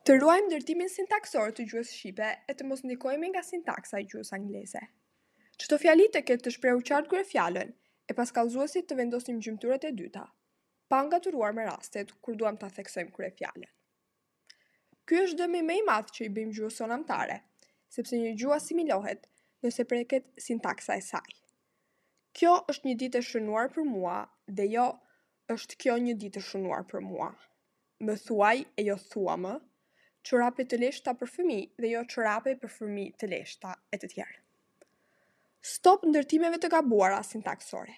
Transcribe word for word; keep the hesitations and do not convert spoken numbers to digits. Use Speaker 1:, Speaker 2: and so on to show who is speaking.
Speaker 1: Të ruajmë ndërtimin sintaksor të gjuhës shqipe e të mos ndikohemi nga sintaksa e gjuhës angleze. Çdo fjali të ketë të shprehur qartë kryefjalën, e pas kallëzuesit të vendosim gjymtyrët e dyta, pa ngatërruar me rastet kur duam ta theksojmë kryefjalën. Ky është dëmi më i madh që i bëjmë gjuhës sonë amtare, sepse një gjuhë asimilohet nëse preket sintaksa e saj. Kjo është një ditë e shënuar për mua dhe jo është kjo një ditë e shënuar për mua. Më thuaj e jo thua më, çorape të leshta për fëmijë dhe jo çorape për fëmijë të leshta e të tjerë. Stop ndërtimeve të gabuara sintaksore.